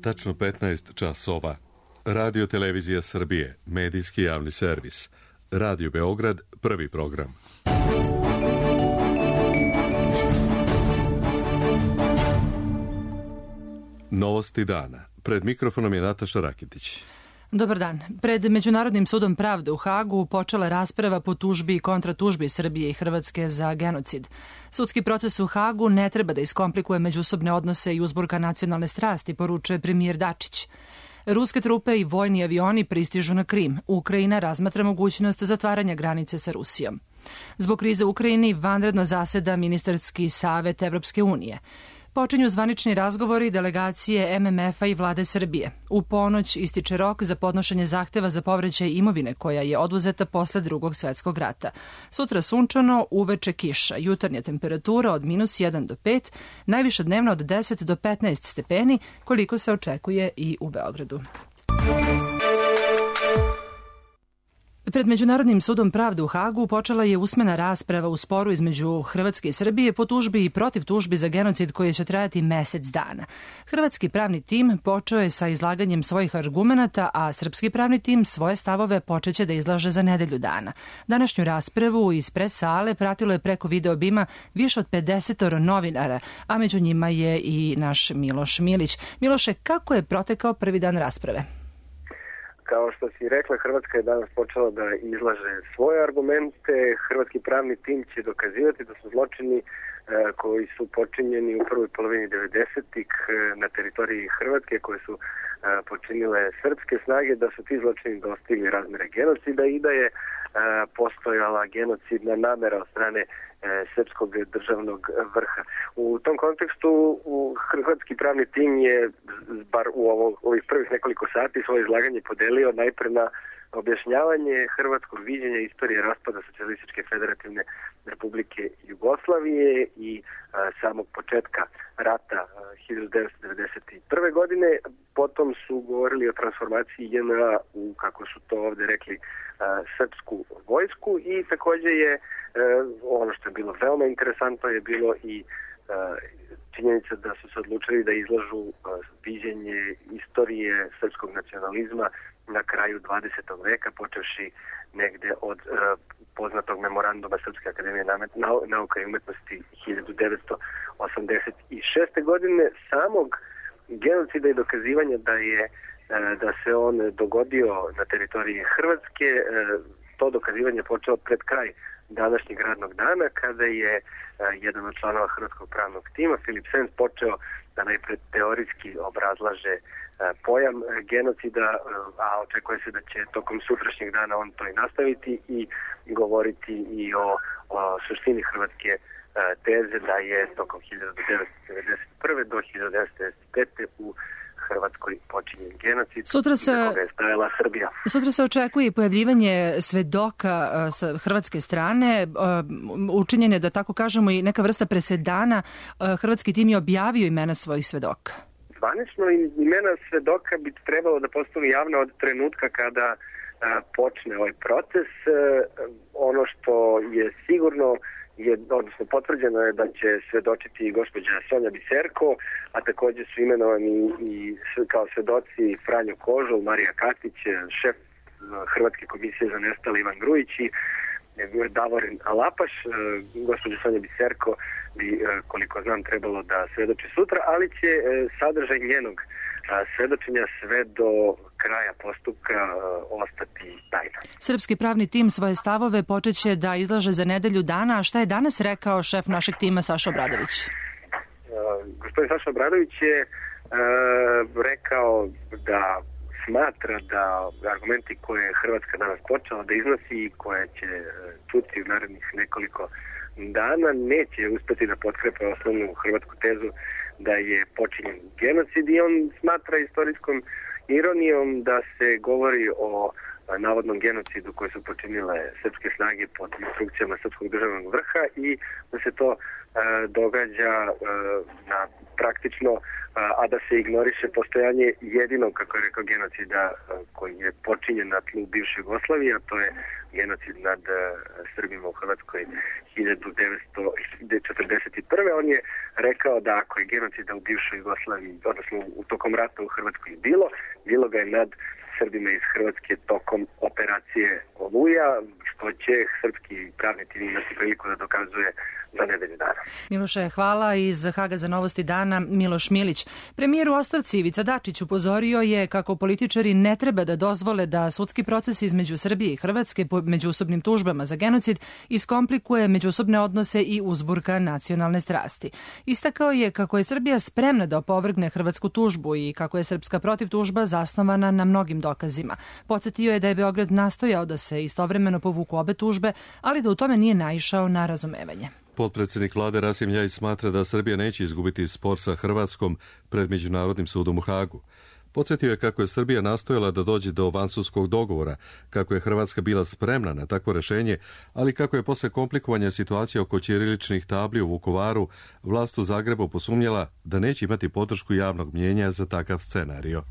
tačno 15 časova. Radio Televizija Srbije, medijski javni servis. Radio Beograd, prvi program. Novosti dana. Pred mikrofonom je Nataša Rakitić. Dobar dan. Pred Međunarodnim sudom pravde u Hagu počela rasprava po tužbi i kontratužbi Srbije i Hrvatske za genocid. Sudski proces u Hagu ne treba da iskomplikuje međusobne odnose i uzburka nacionalne strasti, poručuje premijer Dačić. Ruske trupe i vojni avioni pristižu na Krim. Ukrajina razmatra mogućnost zatvaranja granice sa Rusijom. Zbog krize u Ukrajini vanredno zaseda Ministarski savet Evropske unije. Počinju zvanični razgovori delegacije MMF-a i vlade Srbije. U ponoć ističe rok za podnošenje zahteva za povraćaj imovine koja je oduzeta posle Drugog svetskog rata. Sutra sunčano, uveče kiša, jutarnja temperatura od -1 do 5, najviša dnevna od 10 do 15 stepeni, koliko se očekuje i u Beogradu. Pred Međunarodnim sudom pravde u Hagu počela je usmena rasprava u sporu između Hrvatske i Srbije po tužbi i protiv tužbi za genocid koji će trajati mesec dana. Hrvatski pravni tim počeo je sa izlaganjem svojih argumenata, a srpski pravni tim svoje stavove počeće da izlaže za nedelju dana. Današnju raspravu iz pres sale pratilo je preko video bima više od 50 novinara, a među njima je i naš Miloš Milić. Miloše, kako je protekao prvi dan rasprave? Kao što si rekla, Hrvatska je danas počela da izlaže svoje argumente. Hrvatski pravni tim će dokazivati da su zločini koji su počinjeni u prvoj polovini 90-ih na teritoriji Hrvatske, koje su počinile srpske snage, da su ti zločini dostigli razmere genocida i da je postojala genocidna namera od strane srpskog državnog vrha. U tom kontekstu hrvatski pravni tim je, bar u ovih prvih nekoliko sati, svoje izlaganje podelio najpre na objašnjavanje hrvatskog viđenja istorije raspada Socijalističke federativne Republike Jugoslavije i samog početka rata 1991. godine. Potom su govorili o transformaciji JNA u, kako su to ovde rekli, srpsku vojsku i takođe je ono što je bilo veoma interesantno je bilo i činjenica da su se odlučili da izlažu viđenje istorije srpskog nacionalizma na kraju 20. veka, počevši negde od poznatog memoranduma Srpske akademije nauka i umetnosti 1986. godine, samog genocida i dokazivanja da se on dogodio na teritoriji Hrvatske. To dokazivanje počelo pred kraj današnjeg radnog dana, kada je jedan od članova Hrvatskog pravnog tima, Filip Sens, počeo da najpred teorijski obrazlaže pojam genocida, a očekuje se da će tokom sutrašnjeg dana on to i nastaviti i govoriti i o suštini hrvatske teze da je tokom 1991. do 1995. u Hrvatskoj počinjen genocid za koga je stajala Srbija. Sutra se očekuje pojavljivanje svedoka sa hrvatske strane. Učinjen je, da tako kažemo, i neka vrsta presedana. Hrvatski tim je objavio imena svojih svedoka. Zvanično imena svedoka bi trebalo da postanu javna od trenutka kada počne ovaj proces. Ono što je sigurno odnosno potvrđeno je da će svedočiti gospođa Sonja Biserko, a takođe su imenovani i kao svedoci Franjo Kožul, Marija Katić, šef Hrvatske komisije za nestale Ivan Grujić i Davorin Alapaš. Gospođa Sonja Biserko bi, koliko znam, trebalo da svedoči sutra, ali će sadržaj njenog svedočenja sve do kraja postupka ostati tajna. Srpski pravni tim svoje stavove počeće da izlaže za nedelju dana, a šta je danas rekao šef našeg tima Saša Obradović? Gospodin Saša Obradović je rekao da smatra da argumenti koje je Hrvatska danas počela da iznosi i koje će čuti u narednih nekoliko dana neće uspeti da potkrepe osnovnu hrvatsku tezu da je počinjen genocid i on smatra istorijskom ironijom da se govori o navodnom genocidu koji su počinile srpske snage pod instrukcijama srpskog državnog vrha i da se to događa na praktično, a da se ignoriše postojanje jedinog, kako je rekao, genocida koji je počinjen na tlu bivše Jugoslavije, a to je genocid nad Srbima u Hrvatskoj 1941. On je rekao da ako je genocida u bivšoj Jugoslaviji, odnosno u tokom rata u Hrvatskoj bilo ga je nad Srbima iz Hrvatske tokom operacije Oluja, što će srpski pravni tim imati priliku da dokazuje za nedelju dana. Miloše, hvala. Iz Haga za novosti dana Miloš Milić. Premijer u ostavci Ivica Dačić upozorio je kako političari ne treba da dozvole da sudski proces između Srbije i Hrvatske po međusobnim tužbama za genocid iskomplikuje međusobne odnose i uzburka nacionalne strasti. Istakao je kako je Srbija spremna da opovrgne hrvatsku tužbu i kako je srpska protivtužba zasnovana na mnogim dokazima. Podsjetio je da je Beograd nastojao da se istovremeno povuku obe tužbe, ali da u tome nije naišao na razumevanje. Potpredsjednik vlade Rasim Ljajić smatra da Srbija neće izgubiti spor sa Hrvatskom pred Međunarodnim sudom u Hagu. Podsjetio je kako je Srbija nastojala da dođe do vansudskog dogovora, kako je Hrvatska bila spremna na takvo rešenje, ali kako je posle komplikovanja situacije oko ćiriličnih tabli u Vukovaru vlast u Zagrebu posumnjala da neće imati podršku javnog mnjenja za takav scenario.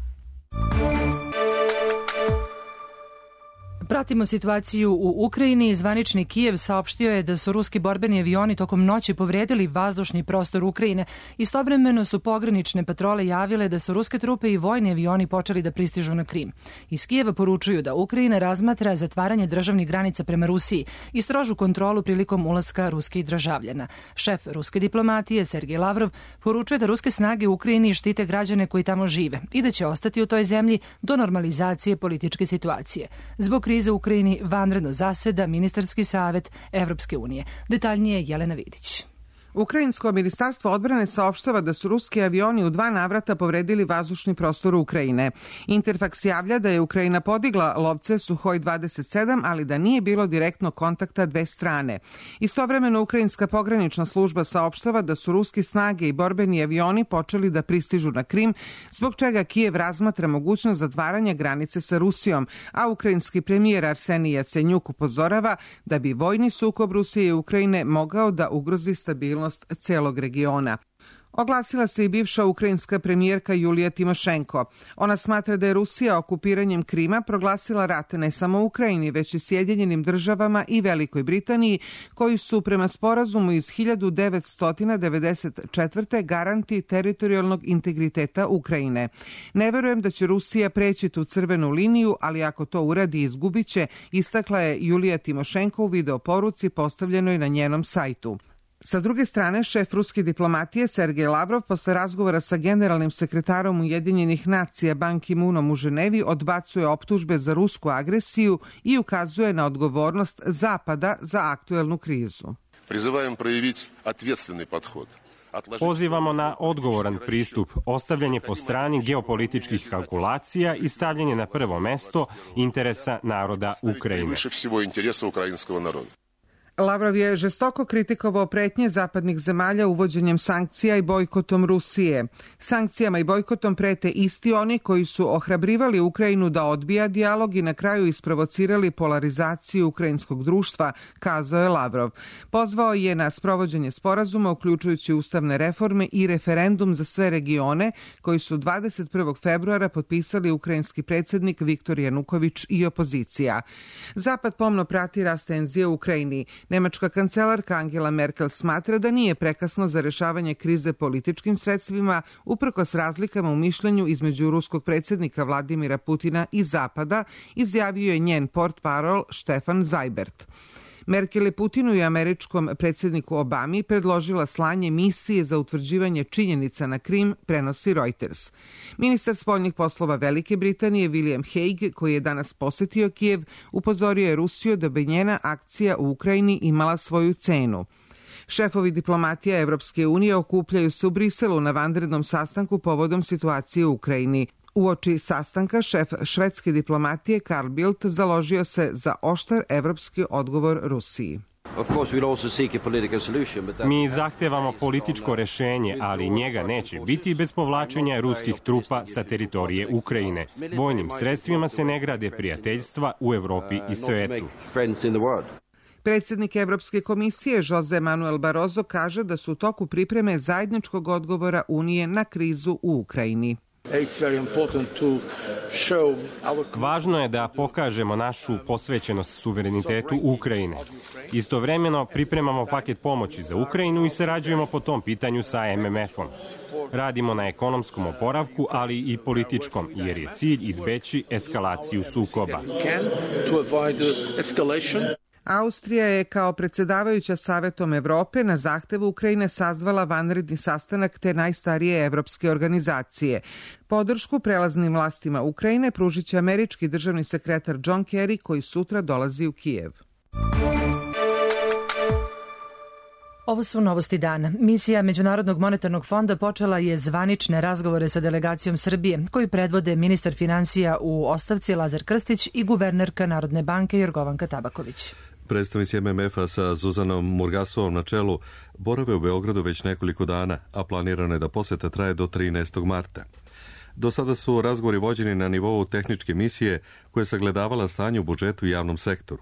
Pratimo situaciju u Ukrajini. Zvanični Kijev saopštio je da su ruski borbeni avioni tokom noći povredili vazdušni prostor Ukrajine. Istovremeno su pogranične patrole javile da su ruske trupe i vojni avioni počeli da pristižu na Krim. Iz Kijeva poručuju da Ukrajina razmatra zatvaranje državnih granica prema Rusiji i strožu kontrolu prilikom ulaska ruskih državljana. Šef ruske diplomatije Sergej Lavrov poručuje da ruske snage u Ukrajini štite građane koji tamo žive i da će ostati u toj zemlji do normalizacije političke situacije. Zbog krize u Ukrajini vanredno zaseda Ministarski savet Evropske unije. Detaljnije Jelena Vidić. Ukrajinsko ministarstvo odbrane saopštava da su ruski avioni u 2 navrata povredili vazdušni prostor Ukrajine. Interfaks javlja da je Ukrajina podigla lovce Suhoj 27, ali da nije bilo direktnog kontakta dve strane. Istovremeno ukrajinska pogranična služba saopštava da su ruski snage i borbeni avioni počeli da pristižu na Krim, zbog čega Kijev razmatra mogućnost zatvaranja granice sa Rusijom, a ukrajinski premijer Arsenij Jacenjuk upozorava da bi vojni sukob Rusije i Ukrajine mogao da ugrozi stabilnost celog regiona. Oglasila se i bivša ukrajinska premijerka Julija Timošenko. Ona smatra da je Rusija okupiranjem Krima proglasila rat ne samo Ukrajini, već i Sjedinjenim državama i Velikoj Britaniji, koji su prema sporazumu iz 1994. garanti teritorijalnog integriteta Ukrajine. Ne verujem da će Rusija preći tu crvenu liniju, ali ako to uradi izgubiće, istakla je Julija Timošenko u videoporuci postavljenoj na njenom sajtu. Sa druge strane, šef ruske diplomatije Sergej Lavrov posle razgovora sa generalnim sekretarom Ujedinjenih nacija Ban Ki-moonom u Ženevi odbacuje optužbe za rusku agresiju i ukazuje na odgovornost Zapada za aktuelnu krizu. Prizivajem projeviti ответственный подход. Pozivamo na odgovoran pristup, ostavljanje po strani geopolitičkih kalkulacija i stavljanje na prvo mesto interesa naroda Ukrajine. Lavrov je žestoko kritikovao pretnje zapadnih zemalja uvođenjem sankcija i bojkotom Rusije. Sankcijama i bojkotom prete isti oni koji su ohrabrivali Ukrajinu da odbija dijalog i na kraju isprovocirali polarizaciju ukrajinskog društva, kazao je Lavrov. Pozvao je na sprovođenje sporazuma, uključujući ustavne reforme i referendum za sve regione, koji su 21. februara potpisali ukrajinski predsjednik Viktor Januković i opozicija. Zapad pomno prati rast tenzija u Ukrajini. Nemačka kancelarka Angela Merkel smatra da nije prekasno za rešavanje krize političkim sredstvima, uprkos razlikama u mišljenju između ruskog predsjednika Vladimira Putina i Zapada, izjavio je njen portparol Stefan Seibert. Merkel je Putinu i američkom predsjedniku Obami predložila slanje misije za utvrđivanje činjenica na Krim, prenosi Reuters. Ministar spoljnih poslova Velike Britanije William Hague, koji je danas posetio Kijev, upozorio je Rusiju da bi njena akcija u Ukrajini imala svoju cenu. Šefovi diplomatija Evropske unije okupljaju se u Briselu na vanrednom sastanku povodom situacije u Ukrajini. Uoči sastanka šef švedske diplomatije Carl Bildt založio se za oštar evropski odgovor Rusiji. Mi zahtevamo političko rešenje, ali njega neće biti bez povlačenja ruskih trupa sa teritorije Ukrajine. Vojnim sredstvima se ne grade prijateljstva u Evropi i svetu. Predsjednik Evropske komisije Jose Manuel Barroso kaže da su u toku pripreme zajedničkog odgovora Unije na krizu u Ukrajini. Važno je da pokažemo našu posvećenost suverenitetu Ukrajine. Istovremeno pripremamo paket pomoći za Ukrajinu i sarađujemo po tom pitanju sa MMF-om. Radimo na ekonomskom oporavku, ali i političkom, jer je cilj izbeći eskalaciju sukoba. Austrija je kao predsjedavajuća Savetom Evrope na zahtev Ukrajine sazvala vanredni sastanak te najstarije evropske organizacije. Podršku prelaznim vlastima Ukrajine pružit će američki državni sekretar John Kerry, koji sutra dolazi u Kijev. Ovo su novosti dana. Misija Međunarodnog monetarnog fonda počela je zvanične razgovore sa delegacijom Srbije, koji predvode ministar finansija u ostavci Lazar Krstić i guvernerka Narodne banke Jorgovanka Tabaković. Predstavnici MMF-a sa Zuzanom Murgasovom na čelu borave u Beogradu već nekoliko dana, a planirano je da poseta traje do 13. marta. Do sada su razgovori vođeni na nivou tehničke misije koja je sagledavala stanje u budžetu i javnom sektoru.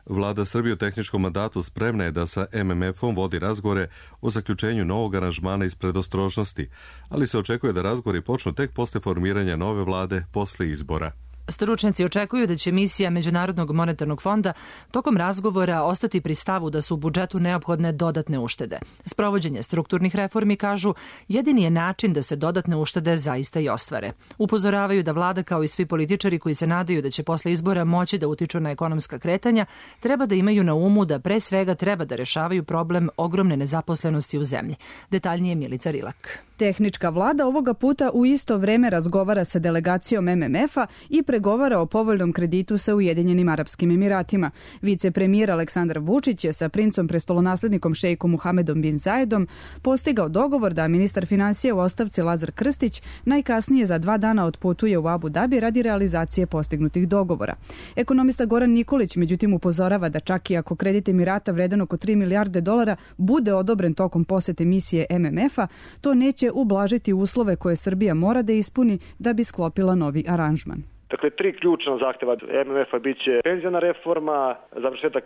Vlada Srbije u tehničkom mandatu spremna je da sa MMF-om vodi razgovore o zaključenju novog aranžmana iz predostrožnosti, ali se očekuje da razgovori počnu tek posle formiranja nove vlade posle izbora. Stručnjaci očekuju da će misija Međunarodnog monetarnog fonda tokom razgovora ostati pri stavu da su u budžetu neophodne dodatne uštede. Sprovođenje strukturnih reformi, kažu, jedini je način da se dodatne uštede zaista i ostvare. Upozoravaju da vlada, kao i svi političari koji se nadaju da će posle izbora moći da utiču na ekonomska kretanja, treba da imaju na umu da pre svega treba da rešavaju problem ogromne nezaposlenosti u zemlji. Detaljnije Milica Rilak. Tehnička vlada ovoga puta u isto vreme razgovara sa delegacijom MMF-a i pregovara o povoljnom kreditu sa Ujedinjenim Arapskim Emiratima. Vicepremijer Aleksandar Vučić je sa princom prestolonaslednikom šejkom Muhamedom bin Zayedom postigao dogovor da ministar finansija u ostavci Lazar Krstić najkasnije za 2 dana otputuje u Abu Dabi radi realizacije postignutih dogovora. Ekonomista Goran Nikolić međutim upozorava da čak i ako kredit Emirata vredan oko 3 milijarde dolara bude odobren tokom posete misije MMF-a, to neće ublažiti uslove koje Srbija mora da ispuni da bi sklopila novi aranžman. Dakle, 3 ključna zahteva MMF-a biće penzijna reforma, završetak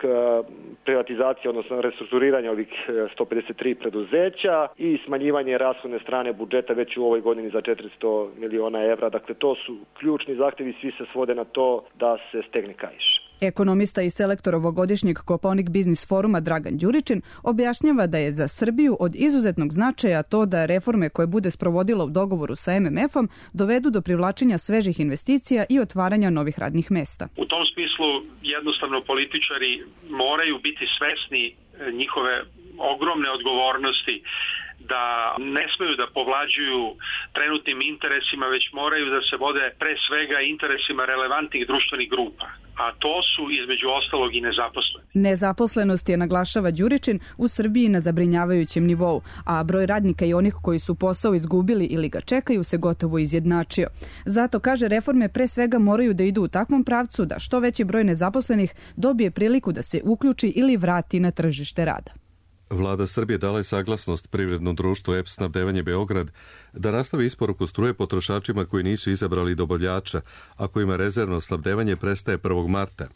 privatizacije, odnosno restrukturiranja ovih 153 preduzeća i smanjivanje rashodne strane budžeta već u ovoj godini za 400 miliona evra. Dakle, to su ključni zahtevi, svi se svode na to da se stegne kaiš. Ekonomista i selektor ovogodišnjeg Kopaonik biznis foruma Dragan Đuričin objašnjava da je za Srbiju od izuzetnog značaja to da reforme koje bude sprovodila u dogovoru sa MMF-om dovedu do privlačenja svežih investicija i otvaranja novih radnih mesta. U tom smislu jednostavno političari moraju biti svesni njihove ogromne odgovornosti, da ne smeju da povlađuju trenutnim interesima, već moraju da se vode pre svega interesima relevantnih društvenih grupa. A to su između ostalog i nezaposleni. Nezaposlenost je, naglašava Đuričin, u Srbiji na zabrinjavajućem nivou, a broj radnika i onih koji su posao izgubili ili ga čekaju se gotovo izjednačio. Zato, kaže, reforme pre svega moraju da idu u takvom pravcu da što veći broj nezaposlenih dobije priliku da se uključi ili vrati na tržište rada. Vlada Srbije dala je saglasnost privrednom društvu EPS Snabdevanje Beograd da nastavi isporuku struje potrošačima koji nisu izabrali dobavljača, a kojima rezervno snabdevanje prestaje 1. marta.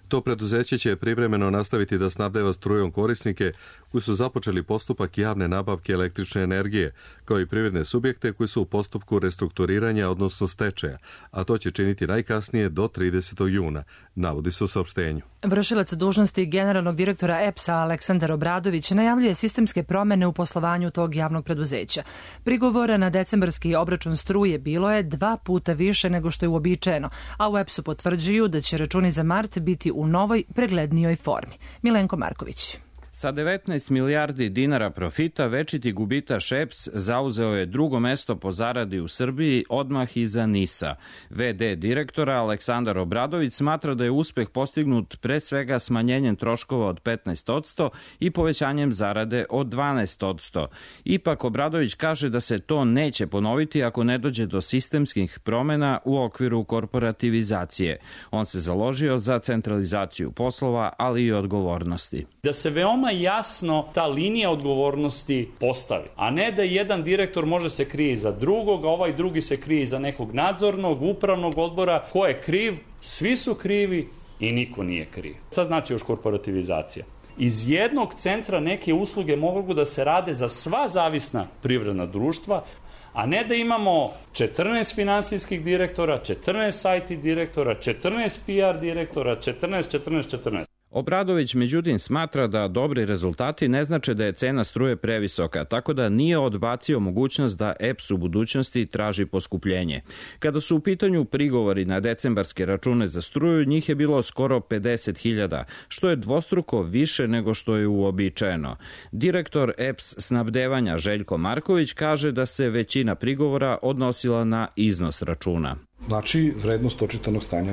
To preduzeće će privremeno nastaviti da snabdeva strujom korisnike koji su započeli postupak javne nabavke električne energije, kao i privredne subjekte koji su u postupku restrukturiranja, odnosno stečaja, a to će činiti najkasnije do 30. juna, navodi se u saopštenju. Vršilac dužnosti generalnog direktora EPS-a Aleksandar Obradović najavljuje sistemske promene u poslovanju tog javnog preduzeća. Prigovora na decembarski obračun struje bilo je 2 puta više nego što je uobičajeno, a u EPS-u potvrđuju da će računi za mart biti u novoj, preglednijoj formi. Milenko Marković. Sa 19 milijardi dinara profita, večiti gubitaš EPS zauzeo je drugo mesto po zaradi u Srbiji, odmah iza NIS-a. VD direktora Aleksandar Obradović smatra da je uspeh postignut pre svega smanjenjem troškova od 15% i povećanjem zarade od 12%. Ipak Obradović kaže da se to neće ponoviti ako ne dođe do sistemskih promena u okviru korporativizacije. On se založio za centralizaciju poslova, ali i odgovornosti. Da se veoma jasno ta linija odgovornosti postavi, a ne da jedan direktor može se krije iza drugog, a ovaj drugi se krije iza nekog nadzornog, upravnog odbora. Ko je kriv? Svi su krivi, i niko nije kriv. Šta znači još korporativizacija? Iz jednog centra neke usluge mogu da se rade za sva zavisna privredna društva, a ne da imamo 14 finansijskih direktora, 14 IT direktora, 14 PR direktora, 14. Obradović međutim smatra da dobri rezultati ne znače da je cena struje previsoka, tako da nije odbacio mogućnost da EPS u budućnosti traži poskupljenje. Kada su u pitanju prigovori na decembarske račune za struju, njih je bilo skoro 50.000, što je dvostruko više nego što je uobičajeno. Direktor EPS snabdevanja Željko Marković kaže da se većina prigovora odnosila na iznos računa. Znači, vrednost očitanog stanja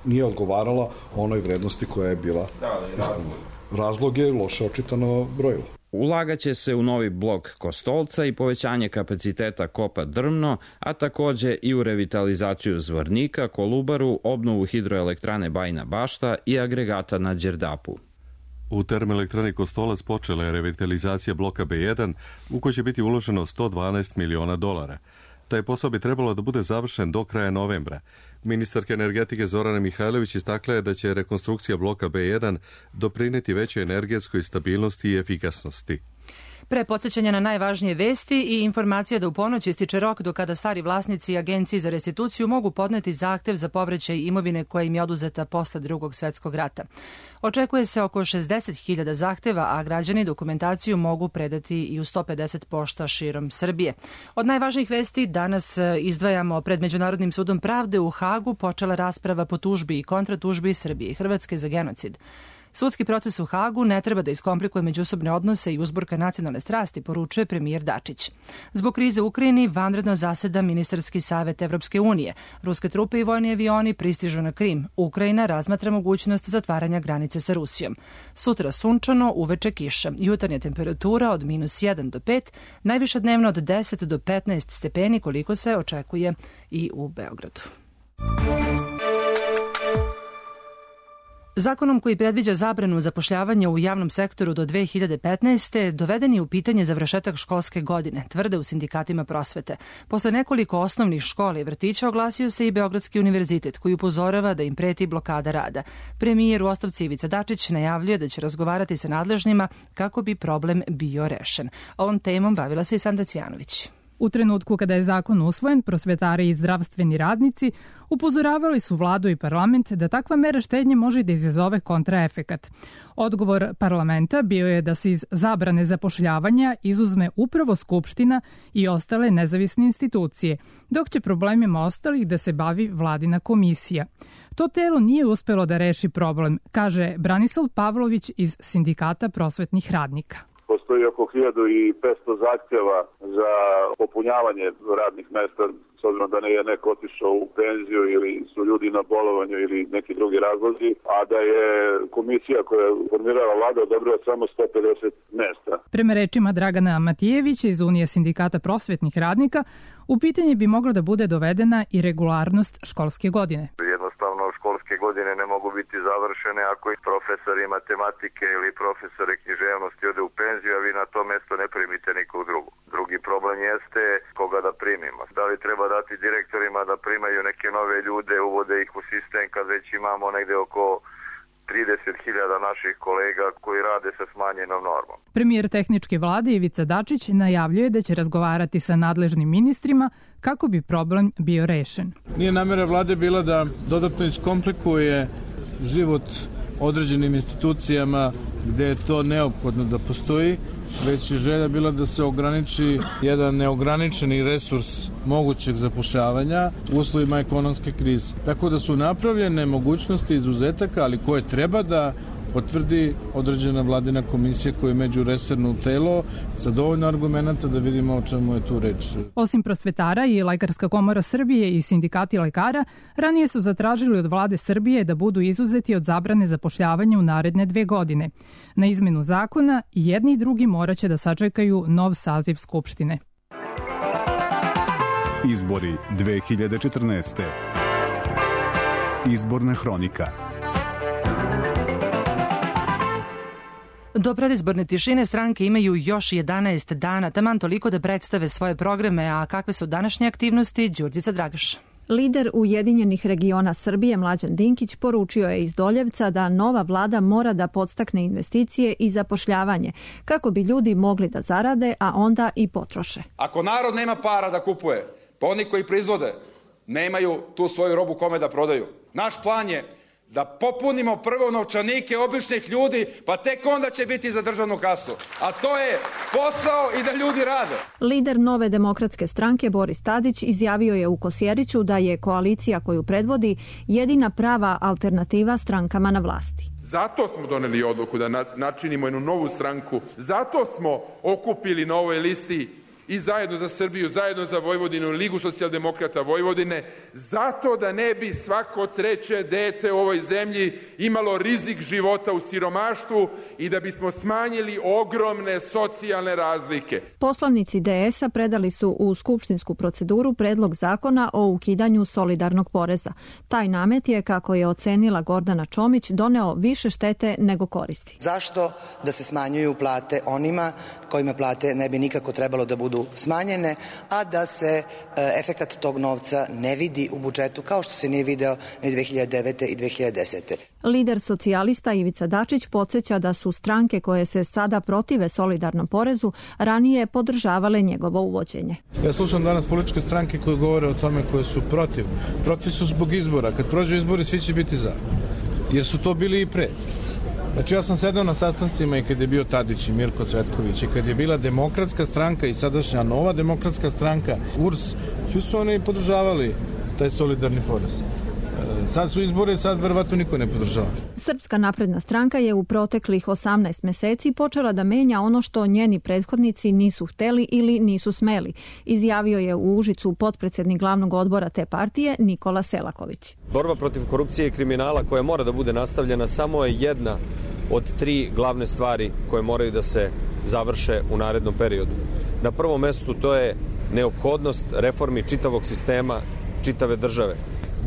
nije odgovarala onoj vrednosti koja je bila. Razlog je loše očitano brojilo. Ulagaće se u novi blok Kostolca i povećanje kapaciteta kopa Drmno, a takođe i u revitalizaciju Zvornika, Kolubaru, obnovu hidroelektrane Bajina Bašta i agregata na Đerdapu. U termoelektrani Kostolac počela je revitalizacija bloka B1 u kojoj će biti uloženo $112 miliona. Taj posao bi trebalo da bude završen do kraja novembra. Ministarka energetike Zorana Mihajlović istakla je da će rekonstrukcija bloka B1 doprineti većoj energetskoj stabilnosti i efikasnosti. Pre podsjećanja na najvažnije vesti i informacija da u ponoć ističe rok do kada stari vlasnici Agenciji za restituciju mogu podneti zahtev za povraćaj imovine koja im je oduzeta posle Drugog svetskog rata. Očekuje se oko 60.000 zahteva, a građani dokumentaciju mogu predati i u 150 pošta širom Srbije. Od najvažnijih vesti danas izdvajamo pred Međunarodnim sudom pravde u Hagu počela rasprava po tužbi i kontratužbi Srbije i Hrvatske za genocid. Sudski proces u Hagu ne treba da iskomplikuje međusobne odnose i uzburka nacionalne strasti, poručuje premijer Dačić. Zbog krize u Ukrajini vanredno zaseda Ministarski savet Evropske unije. Ruske trupe i vojni avioni pristižu na Krim. Ukrajina razmatra mogućnost zatvaranja granice sa Rusijom. Sutra sunčano, uveče kiša. Jutarnja temperatura od -1 do 5, najviša dnevno od 10 do 15 stepeni, koliko se očekuje i u Beogradu. Zakonom koji predviđa zabranu zapošljavanja u javnom sektoru do 2015. doveden je u pitanje završetak školske godine, tvrde u sindikatima prosvete. Posle nekoliko osnovnih škola i vrtića oglasio se i Beogradski univerzitet, koji upozorava da im preti blokada rada. Premijer u ostavci Ivica Dačić najavljuje da će razgovarati sa nadležnima kako bi problem bio rešen. Ovom temom bavila se i Sanda Cvjanović. U trenutku kada je zakon usvojen, prosvetari i zdravstveni radnici upozoravali su vladu i parlament da takva mera štednje može da izazove kontraefekat. Odgovor parlamenta bio je da se iz zabrane zapošljavanja izuzme upravo Skupština i ostale nezavisne institucije, dok će problemima ostalih da se bavi vladina komisija. To telo nije uspelo da reši problem, kaže Branislav Pavlović iz Sindikata prosvetnih radnika. Postoji oko 1500 zahtjeva za popunjavanje radnih mesta, s obzirom da je neko otišao u penziju ili su ljudi na bolovanju ili neki drugi razlozi, a da je komisija koja je formirala vlada odobrila samo 150 mesta. Prema rečima Dragana Matijevića iz Unije sindikata prosvetnih radnika, u pitanje bi mogla da bude dovedena i regularnost školske godine. Jednostavno školske godine ne mogu biti završene ako i profesori matematike ili profesori književnosti ode u penziju, a vi na to mesto ne primite nikog drugog. Drugi problem jeste koga da primimo. Da li treba dati direktorima da primaju neke nove ljude, uvode ih u sistem kad već imamo negde oko 30.000 naših kolega koji rade sa smanjenom normom. Premijer tehničke vlade Ivica Dačić najavljuje da će razgovarati sa nadležnim ministrima kako bi problem bio rešen. Nije namera vlade bila da dodatno iskomplikuje život određenim institucijama gde je to neophodno da postoji, već je želja bila da se ograniči jedan neograničeni resurs mogućeg zapošljavanja u uslovima ekonomske krize. Tako da su napravljene mogućnosti izuzetaka, ali koje treba da potvrdi određena vladina komisija koja je međuresorno telo sa dovoljno argumenta da vidimo o čemu je tu reč. Osim prosvetara i Lekarska komora Srbije i sindikati lekara, ranije su zatražili od vlade Srbije da budu izuzeti od zabrane zapošljavanja u naredne 2 godine. Na izmenu zakona i jedni i drugi moraće da sačekaju nov saziv Skupštine. Izbori 2014. Izborna hronika. Do predizborne tišine stranke imaju još 11 dana, taman toliko da predstave svoje programe, a kakve su današnje aktivnosti, Đurđica Dragaš. Lider Ujedinjenih regiona Srbije Mlađan Dinkić poručio je iz Doljevca da nova vlada mora da podstakne investicije i zapošljavanje kako bi ljudi mogli da zarade, a onda i potroše. Ako narod nema para da kupuje, pa oni koji proizvode nemaju tu svoju robu kome da prodaju. Naš plan je da popunimo prvo novčanike običnih ljudi, pa tek onda će biti za državnu kasu. A to je posao i da ljudi rade. Lider Nove demokratske stranke Boris Tadić izjavio je u Kosjeriću da je koalicija koju predvodi jedina prava alternativa strankama na vlasti. Zato smo doneli odluku da načinimo jednu novu stranku. Zato smo okupili na ovoj listi i Zajedno za Srbiju, Zajedno za Vojvodinu, Ligu socijaldemokrata Vojvodine, zato da ne bi svako treće dete u ovoj zemlji imalo rizik života u siromaštvu i da bismo smanjili ogromne socijalne razlike. Poslanici DS-a predali su u skupštinsku proceduru predlog zakona o ukidanju solidarnog poreza. Taj namet je, kako je ocenila Gordana Čomić, doneo više štete nego koristi. Zašto da se smanjuju plate onima kojima plate ne bi nikako trebalo da budu smanjene, a da se efekat tog novca ne vidi u budžetu kao što se nije video ni 2009. i 2010. Lider socijalista Ivica Dačić podsjeća da su stranke koje se sada protive solidarnom porezu ranije podržavale njegovo uvođenje. Ja slušam danas političke stranke koje govore o tome koje su protiv. Protiv su zbog izbora. Kad prođu izbori svi će biti za. Jer su to bili i pre. Znači ja sam sedao na sastancima i kad je bio Tadić i Mirko Cvetković i kad je bila Demokratska stranka i sadašnja Nova demokratska stranka, URS, svi su oni podržavali taj solidarni porez. Sad su izbori, sad verovatno niko ne podržava. Srpska napredna stranka je u proteklih 18 meseci počela da menja ono što njeni prethodnici nisu hteli ili nisu smeli, izjavio je u Užicu potpredsednik glavnog odbora te partije Nikola Selaković. Borba protiv korupcije i kriminala koja mora da bude nastavljena samo je jedna od 3 glavne stvari koje moraju da se završe u narednom periodu. Na prvom mestu to je neophodnost reformi čitavog sistema, čitave države.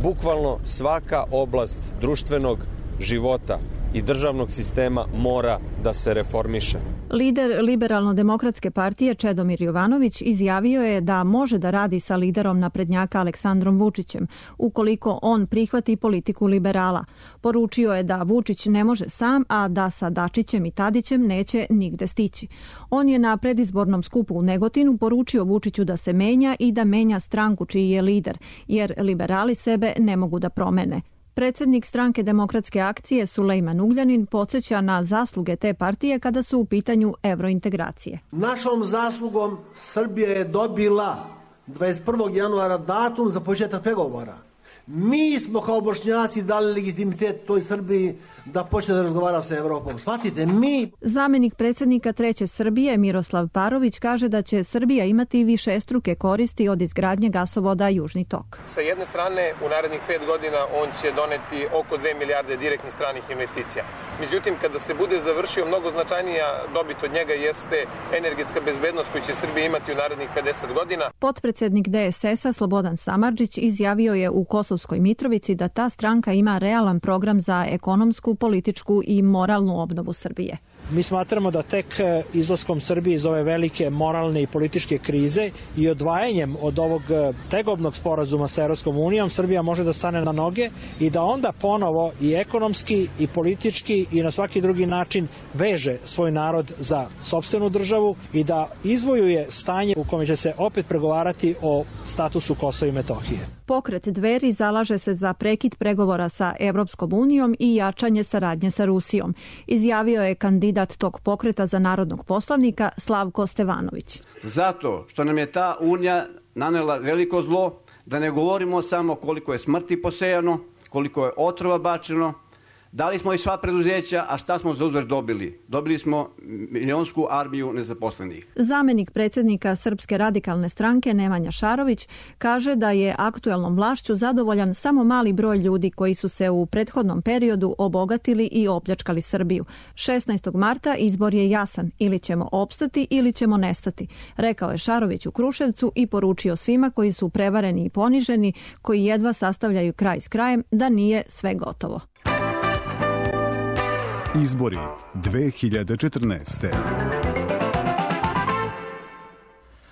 Bukvalno svaka oblast društvenog života i državnog sistema mora da se reformiše. Lider Liberalno-demokratske partije Čedomir Jovanović izjavio je da može da radi sa liderom naprednjaka Aleksandrom Vučićem, ukoliko on prihvati politiku liberala. Poručio je da Vučić ne može sam, a da sa Dačićem i Tadićem neće nigde stići. On je na predizbornom skupu u Negotinu poručio Vučiću da se menja i da menja stranku čiji je lider, jer liberali sebe ne mogu da promene. Predsjednik stranke Demokratske akcije Sulejman Ugljanin podsjeća na zasluge te partije kada su u pitanju evrointegracije. Našom zaslugom Srbija je dobila 21. januara datum za početak pregovora. Mi smo kao Bošnjaci dali legitimitet toj Srbiji da počne da razgovara sa Evropom. Shvatite, mi... Zamenik predsjednika Treće Srbije Miroslav Parović kaže da će Srbija imati višestruke koristi od izgradnje gasovoda Južni tok. Sa jedne strane, u narednih 5 godina on će doneti oko 2 milijarde direktnih stranih investicija. Međutim, kada se bude završio, mnogo značajnija dobit od njega jeste energetska bezbednost koju će Srbija imati u narednih 50 godina. Potpredsjednik DSS-a Slobodan Samardžić izjavio je u Kosovskoj Mitrovici da ta stranka ima realan program za ekonomsku, političku i moralnu obnovu Srbije. Mi smatramo da tek izlaskom Srbije iz ove velike moralne i političke krize i odvajanjem od ovog tegobnog sporazuma sa Europskom unijom Srbija može da stane na noge i da onda ponovo i ekonomski i politički i na svaki drugi način veže svoj narod za sopstvenu državu i da izvojuje stanje u kome će se opet pregovarati o statusu Kosova i Metohije. Pokret Dveri zalaže se za prekid pregovora sa Evropskom unijom i jačanje saradnje sa Rusijom, izjavio je kandidat tog pokreta za narodnog poslanika Slavko Stevanović. Zato što nam je ta unija nanela veliko zlo, da ne govorimo samo koliko je smrti posejano, koliko je otrova bačeno, dali smo i sva preduzeća, a šta smo za uzvrat dobili? Dobili smo milionsku armiju nezaposlenih. Zamenik predsjednika Srpske radikalne stranke Nemanja Šarović kaže da je aktuelnom vlašću zadovoljan samo mali broj ljudi koji su se u prethodnom periodu obogatili i opljačkali Srbiju. 16. marta izbor je jasan, ili ćemo opstati ili ćemo nestati, rekao je Šarović u Kruševcu i poručio svima koji su prevareni i poniženi, koji jedva sastavljaju kraj s krajem, da nije sve gotovo. Izbori 2014.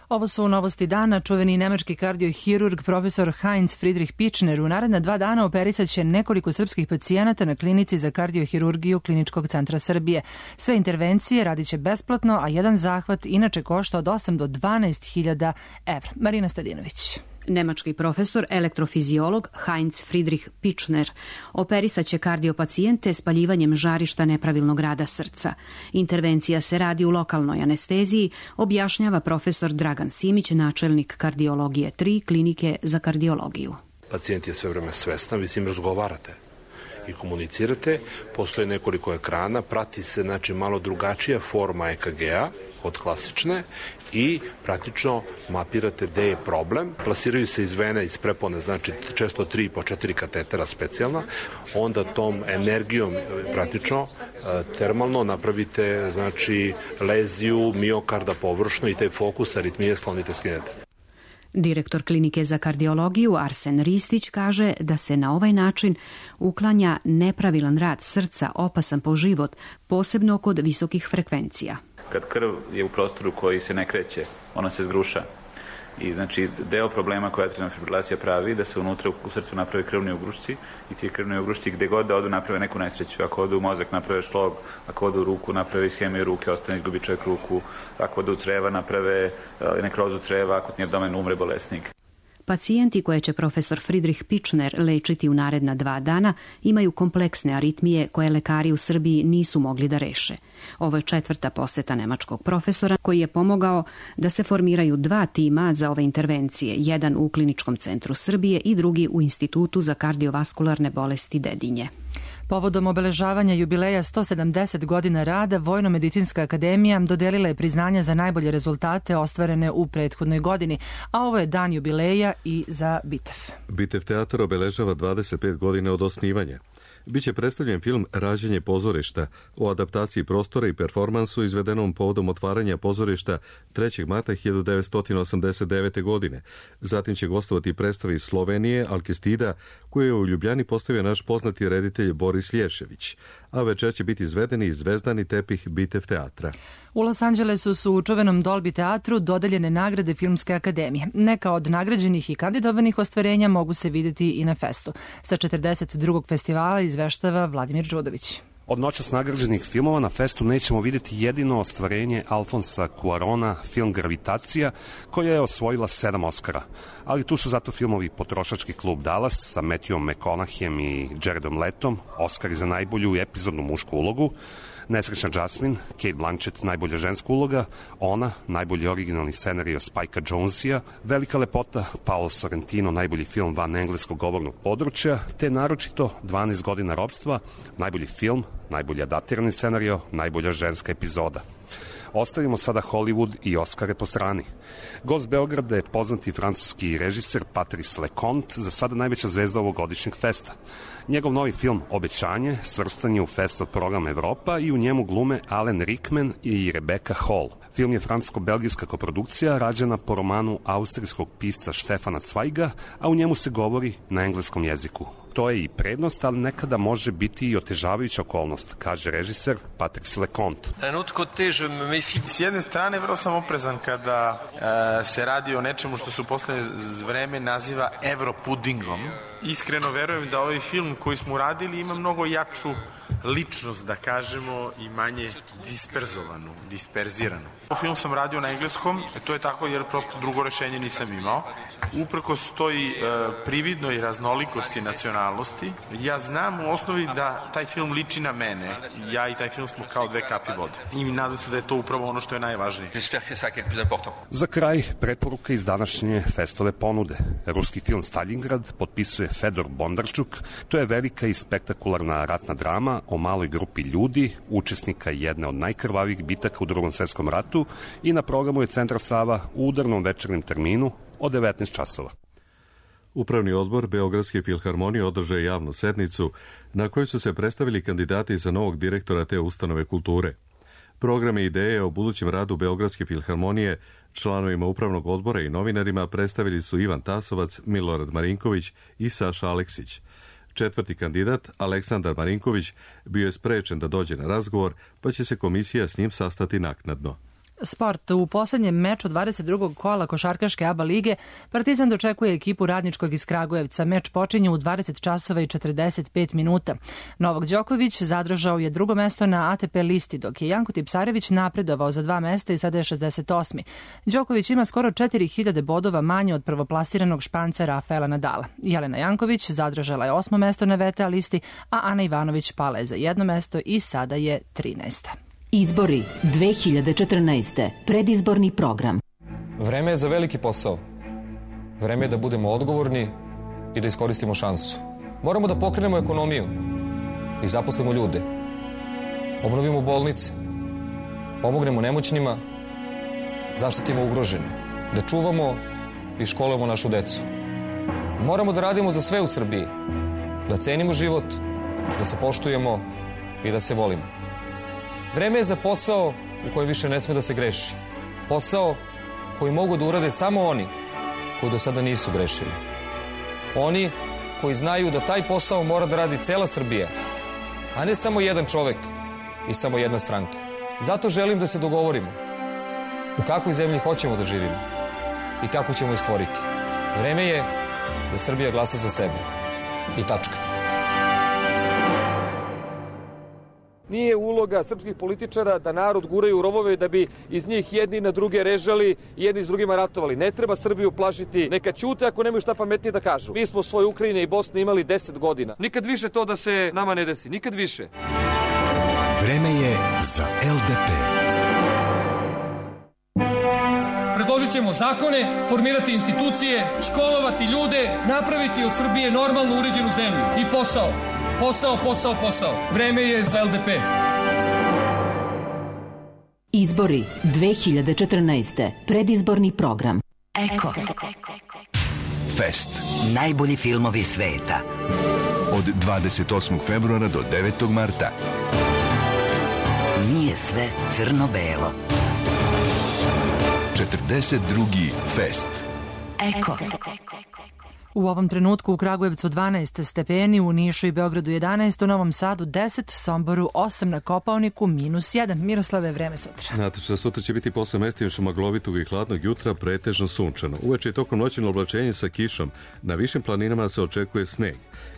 Ovo su novosti dana. Čuveni nemački kardiohirurg profesor Heinz Friedrich Pichner u naredna 2 dana opericat će nekoliko srpskih pacijenata na klinici za kardiohirurgiju Kliničkog centra Srbije. Sve intervencije radit će besplatno, a jedan zahvat inače košta od 8 do 12.000 evra. Marina Stojadinović. Nemački profesor, elektrofiziolog Heinz Friedrich Pichner operisat će kardiopacijente spaljivanjem žarišta nepravilnog rada srca. Intervencija se radi u lokalnoj anesteziji, objašnjava profesor Dragan Simić, načelnik kardiologije 3 klinike za kardiologiju. Pacijent je sve vreme svestan, vi s njim razgovarate i komunicirate, postoje nekoliko ekrana, prati se malo drugačija forma EKG-a od klasične i praktično mapirate gde je problem. Plasiraju se iz vene, iz prepone, znači često 3 po 4 katetera specijalna, onda tom energijom praktično termalno napravite leziju miokarda površno i taj fokus aritmije sklonite, skinete. Direktor klinike za kardiologiju Arsen Ristić kaže da se na ovaj način uklanja nepravilan rad srca opasan po život, posebno kod visokih frekvencija. Kad krv je u prostoru koji se ne kreće, ona se zgruša. I znači deo problema koja atrialna fibrilacija pravi da se unutra u srcu naprave krvni ugrušci i ti krvni ugrušci gde god da odu naprave neku nesreću. Ako odu u mozak naprave šlog, ako odu u ruku naprave ishemiju ruke, ostane izgubi čovjek ruku, ako odu u creva naprave nekrozu creva, ako ti abdomen umre bolesnik. Pacijenti koje će profesor Friedrich Pichner lečiti u naredna 2 dana imaju kompleksne aritmije koje lekari u Srbiji nisu mogli da reše. Ovo je 4. poseta nemačkog profesora koji je pomogao da se formiraju 2 tima za ove intervencije, jedan u Kliničkom centru Srbije i drugi u Institutu za kardiovaskularne bolesti Dedinje. Povodom obeležavanja jubileja 170 godina rada, Vojno-medicinska akademija dodelila je priznanja za najbolje rezultate ostvarene u prethodnoj godini, a ovo je dan jubileja i za Bitev. Bitev teatar obeležava 25 godina od osnivanja. Biće predstavljen film Rađenje pozorišta o adaptaciji prostora i performansu izvedenom povodom otvaranja pozorišta 3. marta 1989. godine. Zatim će gostovati predstave iz Slovenije, Alkestida, koju je u Ljubljani postavio naš poznati reditelj Boris Lješević, a večer će biti izvedeni zvezdani tepih Bitev teatra. U Los Angelesu su u čuvenom Dolby teatru dodeljene nagrade Filmske akademije. Neka od nagrađenih i kandidovanih ostvarenja mogu se vidjeti i na festu. Sa 42. festivala izveštava Vladimir Đudović. Od noćas nagrađenih filmova na festu nećemo vidjeti jedino ostvarenje Alfonsa Cuarona, film Gravitacija, koja je osvojila 7 Oscara. Ali tu su zato filmovi Potrošački klub Dallas sa Matthewom McConaugheyem i Jaredom Letom, Oscari za najbolju epizodnu mušku ulogu, Nesrećna Jasmine, Kate Blanchett, najbolja ženska uloga, Ona, najbolji originalni scenario Spike'a Jonesa, Velika lepota, Paolo Sorrentino, najbolji film van engleskog govornog područja, te naročito 12 godina ropstva, najbolji film, najbolji adaptirani scenario, najbolja ženska epizoda. Ostavimo sada Hollywood i Oscare po strani. Gost Beograda je poznati francuski režiser Patrice Leconte, za sada najveća zvezda ovogodišnjeg festa. Njegov novi film Obećanje svrstan je u festival program Evropa i u njemu glume Alan Rickman i Rebecca Hall. Film je francusko-belgijska koprodukcija rađena po romanu austrijskog pisca Štefana Cvajga, a u njemu se govori na engleskom jeziku. To je i prednost, ali nekada može biti i otežavajuća okolnost, kaže režiser Patrice Leconte. S jedne strane, vrlo sam oprezan kada se radi o nečemu što se u poslednje vreme naziva evropudingom. Iskreno verujem da ovaj film koji smo uradili ima mnogo jaču ličnost, da kažemo, i manje disperziranu. Film sam radio na engleskom, to je tako jer prosto drugo rešenje nisam imao. Uprkos toj prividnoj raznolikosti nacionalnosti, ja znam u osnovi da taj film liči na mene. Ja i taj film smo kao 2 kapi vode. I nadam se da je to upravo ono što je najvažnije. Za kraj, preporuka iz današnje festove ponude. Ruski film Stalingrad potpisuje Fedor Bondarčuk. To je velika i spektakularna ratna drama o maloj grupi ljudi, učesnika jedne od najkrvavijih bitaka u Drugom svjetskom ratu, i na programu je Centar Sava u udarnom večernjem terminu od 19 časova. Upravni odbor Beogradske filharmonije održao je javnu sednicu na kojoj su se predstavili kandidati za novog direktora te ustanove kulture. Programe i ideje o budućem radu Beogradske filharmonije članovima upravnog odbora i novinarima predstavili su Ivan Tasovac, Milorad Marinković i Saša Aleksić. 4. kandidat, Aleksandar Marinković, bio je sprečen da dođe na razgovor, pa će se komisija s njim sastati naknadno. Sport. U poslednjem meču 22. kola košarkaške ABA lige Partizan dočekuje ekipu Radničkog iz Kragujevca. Meč počinje u 20 časova i 45 minuta. Novak Đoković zadržao je drugo mesto na ATP listi, dok je Janko Tipsarević napredovao za 2 mesta i sada je 68. Đoković ima skoro 4000 bodova manje od prvoplasiranog Španca Rafaela Nadala. Jelena Janković zadržala je 8. mesto na VTA listi, a Ana Ivanović pala je za 1 mesto i sada je 13. Izbori 2014. Predizborni program. Vreme je za veliki posao. Vreme je da budemo odgovorni i da iskoristimo šansu. Moramo da pokrenemo ekonomiju i zaposlimo ljude. Obnovimo bolnice, pomognemo nemoćnima, zaštitimo ugrožene, da čuvamo i školujemo našu decu. Moramo da radimo za sve u Srbiji, da cenimo život, da se poštujemo i da se volimo. Vreme je za posao u kojem više ne sme da se greši. Posao koji mogu da urade samo oni koji do sada nisu grešili. Oni koji znaju da taj posao mora da radi cela Srbija, a ne samo jedan čovek i samo jedna stranka. Zato želim da se dogovorimo u kakvoj zemlji hoćemo da živimo i kako ćemo je stvoriti. Vreme je da Srbija glasa za sebe. I tačka. Nije uloga srpskih političara da narod guraju u rovove da bi iz njih jedni na druge režali i jedni s drugima ratovali. Ne treba Srbiju plašiti. Neka ćute ako nemaju šta pametnije da kažu. Mi smo svoje Ukrajine i Bosne imali 10 godina. Nikad više to da se nama ne desi. Nikad više. Vreme je za LDP. Predložit ćemo zakone, formirati institucije, školovati ljude, napraviti od Srbije normalno uređenu zemlju. I posao. Posao, posao, posao. Vreme je za LDP. Izbori 2014. Predizborni program. Eko. Fest. Najbolji filmovi sveta. Od 28. februara do 9. marta. Nije sve crno-belo. 42. Fest. Eko. U ovom trenutku u Kragujevcu 12 stepeni, u Nišu i Beogradu 11, u Novom Sadu 10, Somboru 8, na Kopaoniku -1. Miroslave, vreme sutra. Nataša, sutra će biti posle mestimično maglovitog i hladnog jutra pretežno sunčano. Uveče i tokom noćnog oblačenja sa kišom. Na višim planinama se očekuje sneg.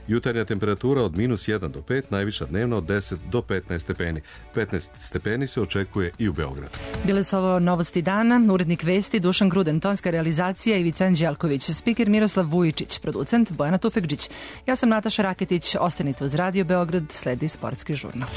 Jutarnja temperatura od -1 do 5, najviša dnevna od 10 do 15 stepeni. 15 stepeni se očekuje i u Beogradu. Bile su ovo novosti dana, urednik vesti Dušan Gruden, tonska realizacija Ivica Anđelković, spiker Miroslav Vujičić, producent Bojana Tufekđić. Ja sam Nataša Raketić, ostanite uz Radio Beograd, sledi sportski žurnal.